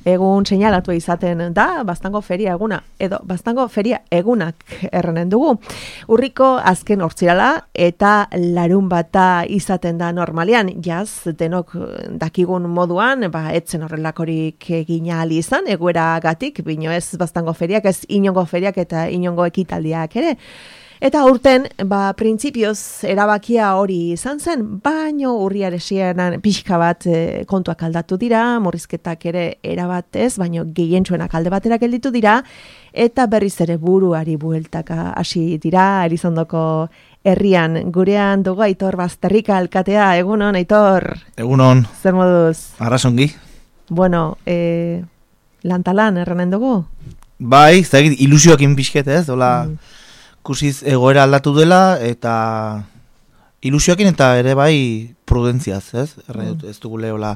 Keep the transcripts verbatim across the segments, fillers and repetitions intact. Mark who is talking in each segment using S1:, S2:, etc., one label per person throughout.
S1: egun seinalatu izaten da, Baztango feria eguna, edo Baztango feria egunak errenen dugu. Urriko azken hortzirala eta larun bata izaten da normalean, jaz, denok dakigun moduan, ba, etzen horrelakorik egina ali izan, egoera gatik, bino ez Baztango feriak, ez inongo feriak eta inongo ekitaldiak ere. Eta urten, ba, printzipioz erabakia hori izan zen, baino urriaresienan pixka bat e, kontuak aldatu dira, murrizketak ere erabat ez, baino gehientsuenak alde batera gelditu dira, eta berriz ere buruari bueltaka hasi dira, Elizondoko herrian, gurean dugu Aitor Bazterrika alkatea, egunon, Aitor?
S2: Egunon.
S1: Zer moduz?
S2: Arrasongi.
S1: Bueno, e, lantalan erranen dugu?
S2: Bai, zagit, ilusioakin pixket ez, dola... Mm. Kusiz egoera aldatu dela eta ilusioakin eta ere bai prudentziaz, ez? Mm. Ez dugu lehola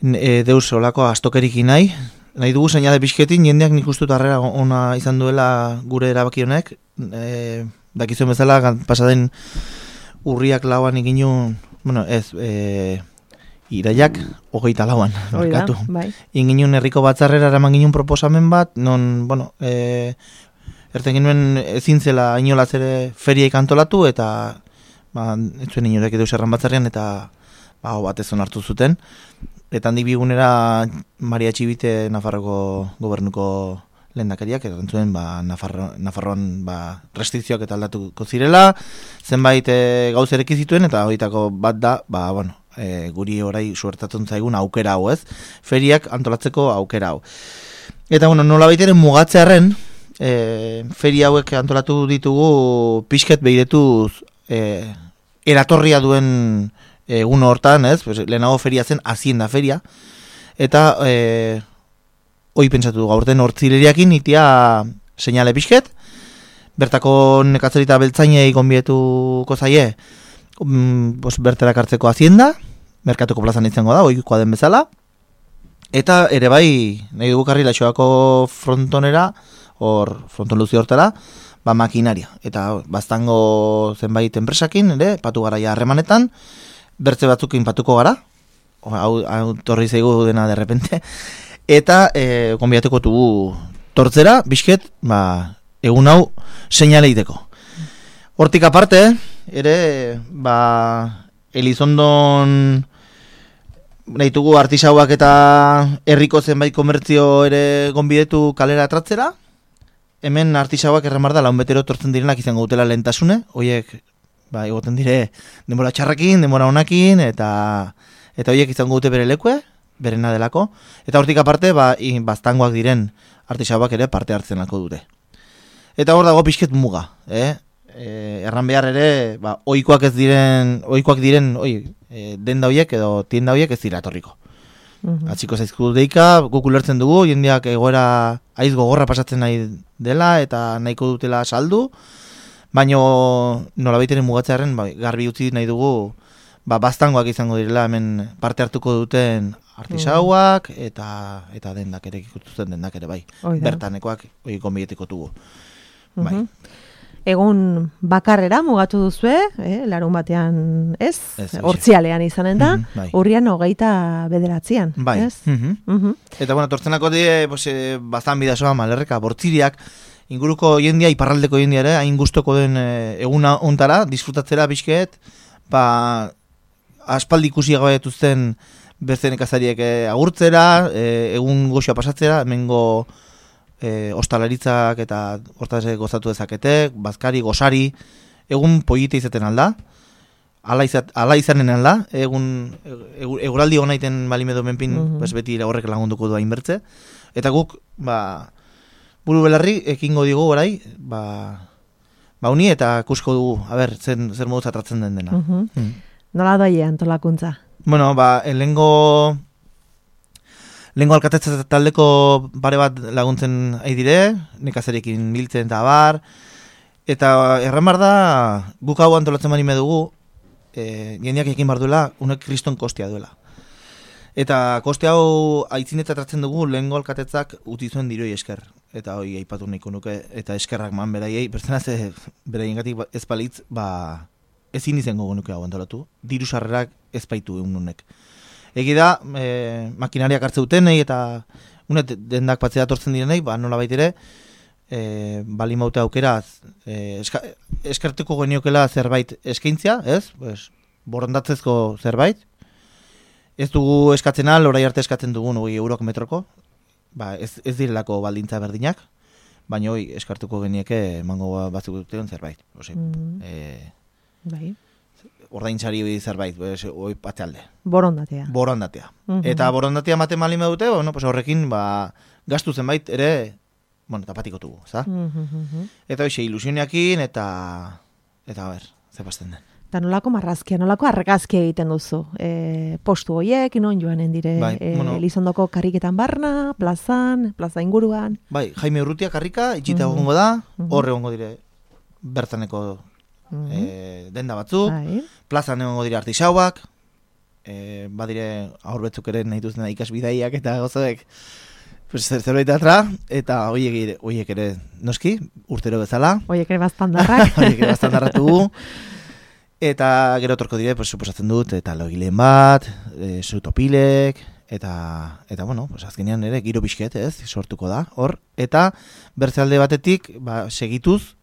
S2: e, deus olako astokerikin nahi. Nahi dugu seinale pixketin, jendeak nik ustut harrera ona izan duela gure erabaki honek. E, dakizuen bezala, pasaden urriak lauan iginun, bueno, ez, e, iraiak hogeita lauan, markatu.
S1: Bai.
S2: Inginun herriko batzarrera eraman ginen proposamen bat, non, bueno, e, erten genuen ezin zela inolaz ere feriaik antolatu eta ba, ez zuen inorek edo zerran batzarrean eta ba, batez onartu zuten. Eta handik bigunera Maria Txibite Nafarroko gobernuko lehendakariak erran zuen ba, Nafarro, Nafarroan ba, restrikzioak eta aldatuko zirela, zenbait e, gauzerek zituen eta horietako bat da, ba, bueno, e, guri orai suertatzen zaigun aukera hau ez, feriak antolatzeko aukera hau. Eta bueno, nola baiteren mugatzearen, E, feria hauek antolatu ditugu pixket behiretuz e, eratorria duen egun hortan, ez? Pues, lehenago feria zen Hazienda feria eta e, hoi pentsatu dugu aurten hortzileriakin itia seinale pixket bertako nekatzerita beltzainei gonbietuko zaie um, pues, berterak hartzeko Hazienda merkatuko plazan izango da, oikoa den bezala eta ere bai nahi dugu Karrilatxoako frontonera hor fronton luzi hortara, ba makinaria. Eta Baztango zenbait enpresakin, ere, patu gara ja harremanetan, bertze batzukin patuko gara, hau, hau torri zaigu dena derrepente, eta e, konbiatuko dugu tortzera, bizket, ba, egun hau seinaleiteko. Hortik aparte, ere, ba, Elizondon nahitugu artisauak eta herriko zenbait komertzio ere gonbidetu kalera atratzera, hemen artisauak erramar da laun betero tortzen direnak izango dutela lehentasune, horiek ba, egoten dire denbora txarrakin, denbora onakin, eta eta horiek izango dute bere lekue, berena delako, eta hortik aparte ba, Baztangoak diren artisauak ere parte hartzenako dute. Eta hor dago pixket muga, eh? E, erran behar ere, ba, oikoak ez diren, oikoak diren, oi, e, denda horiek edo tienda horiek ez dira etorriko. Mm-hmm. Atziko zaizku deika, guk ulertzen dugu, jendeak egoera aiz gogorra pasatzen nahi dela eta nahiko dutela saldu, baino nola baiteren mugatzearen ba, garbi utzi nahi dugu ba, Baztangoak izango direla hemen parte hartuko duten artisauak mm. eta eta dendak ere ikutzen dendak ere bai. Oida. Bertanekoak hori konbietiko dugu. Mm-hmm. Bai.
S1: Egun bakarrera mugatu duzue, eh, larun batean ez, hortzialean izanen da, mm-hmm, bai. Urrian hogeita bederatzean.
S2: Bai.
S1: Ez?
S2: Mm-hmm. Mm-hmm. Eta bueno, tortzenako die, pues, eh, bazan bidazoa malerreka, bortziriak, inguruko jendia, iparraldeko jendia ere, hain gustoko den eh, eguna ontara, disfrutatzera bizket, ba, aspaldi ikusi gabeetuzten beste nekazariek eh, agurtzera, eh, egun goxoa pasatzera, hemengo E, ostalaritzak eta hortaz gozatu dezakete, bazkari, gozari, egun polite izaten alda, ala, izat, ala izanen alda, egun eguraldi honaiten balimedo menpin, mm-hmm. pues beti horrek lagunduko du hainbertze, eta guk, ba, buru belarri, ekingo digu orai, ba, ba uni eta kusko dugu, a ber, zen, zer moduz atratzen den dena.
S1: Mm-hmm. Mm. Nola doie antolakuntza?
S2: Bueno, ba, elengo... Lehenko alkatetza taldeko pare bat laguntzen ari dire, nekazarekin biltzen eta bar, eta erran bar da, guk hau antolatzen bani medugu, e, jendeak ekin bar duela, unek kriston kostea duela. Eta koste hau aitzineta tratzen dugu, lehenko alkatetzak uti zuen diroi esker, eta hoi aipatu nahiko nuke, eta eskerrak man beraiei, bertzen az, beraien gatik ez palitz, ba, ezin izango nuke hau antolatu, diru sarrerak ez baitu egun honek. Egi da, e, makinariak hartze dutenei eta unet dendak patzea atortzen direnei, ba, nola baitere, e, bali maute aukera, e, eska, eskertuko geniokela zerbait eskaintzia, ez? Pues, borondatzezko zerbait. Ez dugu eskatzen al, orai arte eskatzen dugun hogei eurok metroko, ba, ez, ez direlako baldintza berdinak, baina hoi eskartuko genieke emango batzuk dutean zerbait. Ose, mm. e,
S1: bai.
S2: Ordaintzari zerbait, hoi patealde.
S1: Borondatea.
S2: Borondatea.
S1: Mm-hmm.
S2: Eta borondatea maten malin dute, bueno, pues horrekin ba, gastu zenbait ere, bueno, eta patikotugu, za?
S1: Mm-hmm.
S2: Eta hoxe, ilusioniakin, eta, eta, a ber, zepazten den.
S1: Eta nolako marrazkia, nolako argazkia egiten duzu? E, postu hoiek, non joanen dire,
S2: bai,
S1: e,
S2: bueno,
S1: Elizondoko karriketan barna, plazan, plaza inguruan?
S2: Bai, Jaime Urrutia karrika, itxita
S1: Mm-hmm.
S2: egongo da,
S1: Mm-hmm.
S2: horre egongo dire bertaneko
S1: Mm-hmm.
S2: e, denda batzuk,
S1: Bai.
S2: plazan egongo dire artisauak, e, badire aurbetzuk ere nahi duzen ikasbidaiak eta gozoek, pues, zer zerbait atra, eta hoiek ere, hoiek ere noski, urtero bezala,
S1: Oiek ere baztandarrak.
S2: hoiek ere baztandarratugu, eta gero torko dire, pues, suposatzen dut, eta logileen bat, e, sutopilek, eta, eta bueno, pues, azkenean ere giro pixket, ez, sortuko da, hor, eta bertzealde batetik, ba, segituz,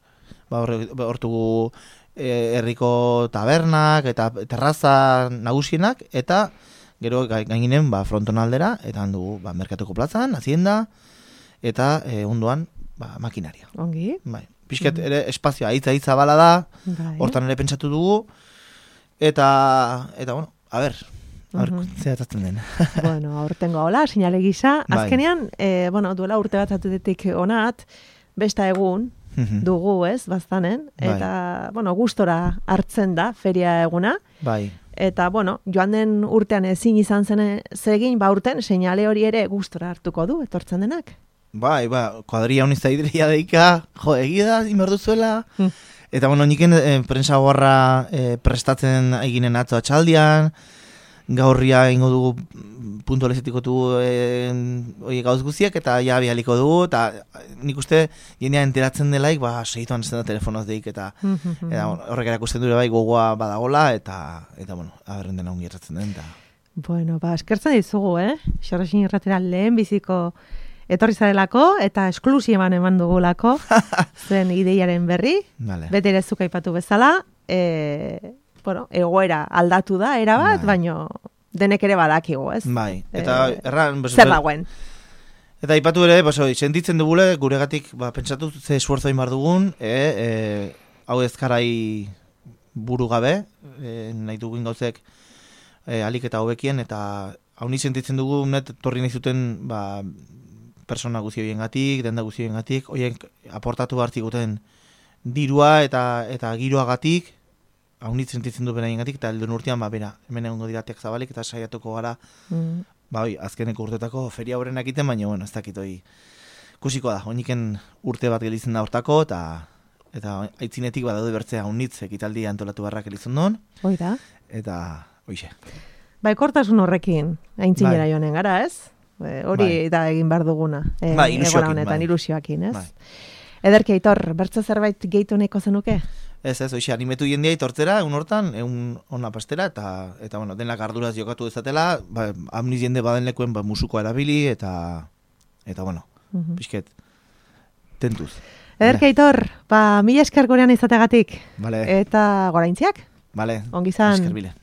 S2: ba, hortugu e, herriko tabernak eta terraza nagusienak, eta gero gaininen ba, fronton aldera, eta handugu ba, merkatuko plazan, hazienda, eta e, ondoan ba, makinaria.
S1: Ongi.
S2: Bai. Pisket ere espazioa hitza-hitza bala da,
S1: Bai.
S2: hortan ere pentsatu dugu, eta, eta bueno, a ber, a ber,
S1: Mhm.
S2: zehatatzen den.
S1: Bueno, aurtengo hola, sinale gisa.
S2: Bai.
S1: Azkenean, e, bueno, duela urte bat atutetik onat, besta egun dugu, ez, baztanen,
S2: Bai.
S1: eta, bueno, gustora hartzen da feria eguna,
S2: Bai.
S1: eta, bueno, joan den urtean ezin izan zen zegin, ba urten, seinale hori ere gustora hartuko du, etortzen denak.
S2: Bai, ba, kuadria honiz zaidria deika, jo, egia da, inberduzuela.
S1: Hmm.
S2: Eta, bueno, niken eh, prensa gorra eh, prestatzen eginen atzo atxaldian, gaurria ingo dugu puntualizetiko dugu eh, oie gauz guziak, eta ja bialiko dugu, eta nik uste jendea enteratzen delaik, ba, segituan ez da telefonoz deik, eta, eta bueno, horrek erakusten dure bai gogoa badagola, eta, eta bueno, aberren dena ongi erratzen den, eta...
S1: Bueno, ba, eskertzen dizugu, eh? Xorresin irratera lehen biziko etorri zarelako, eta esklusiban eman dugulako, zen ideiaren berri,
S2: Vale.
S1: bete ere zuk aipatu bezala, e, bueno, egoera aldatu da, erabat,
S2: Bai.
S1: baino denek ere badakigu, ez?
S2: Bai, eta
S1: Eh,
S2: erran... Pues,
S1: Zer dagoen?
S2: Eta ipatu ere, pues, oi, sentitzen dugule, guregatik, ba, pentsatu ze esfuerzo egin behar dugun, e, e, hau ezkarai buru gabe, e, nahi dugun gauzek e, alik eta hobekien, eta hau ni sentitzen dugu, net, torri nahi zuten, ba, persona guzioien gatik, denda guzioien gatik, oien aportatu behar ziguten dirua eta eta giroagatik, hau ni sentitzen du beraien gatik, eta helduen urtean, ba, bera, hemen egongo diratek zabalik, eta saiatuko gara,
S1: Mm.
S2: ba, oi, azkeneko urtetako feria horrenak egiten, baina, bueno, ez dakit, oi, kusiko da, oiniken urte bat gelitzen da hortako, eta eta aitzinetik badaude bertzea unitz ekitaldi antolatu barrak elizondon,
S1: Hoi da.
S2: eta, oixe.
S1: Baikortasun horrekin, aintzinera
S2: Bai.
S1: joanen gara, ez? E, hori
S2: Bai.
S1: da egin behar duguna. E,
S2: Bai, ilusioekin,
S1: egoera honetan,
S2: bai.
S1: ilusioakin, ez?
S2: Bai.
S1: Ederki, Aitor, bertze zerbait gehitu nahiko zenuke?
S2: Ez, ez, oixe, animetu jendea itortzera, egun hortan, egun ona pastera, eta, eta bueno, denak arduraz jokatu dezatela, ba, amniz jende baden lekuen, ba, musukoa erabili, eta, eta, bueno,
S1: Mhm.
S2: pixket, tentuz.
S1: Ederki, Aitor, ba, mila esker gurean izategatik.
S2: Vale,
S1: Eta goraintziak?
S2: vale,
S1: Ongi izan.
S2: esker bile.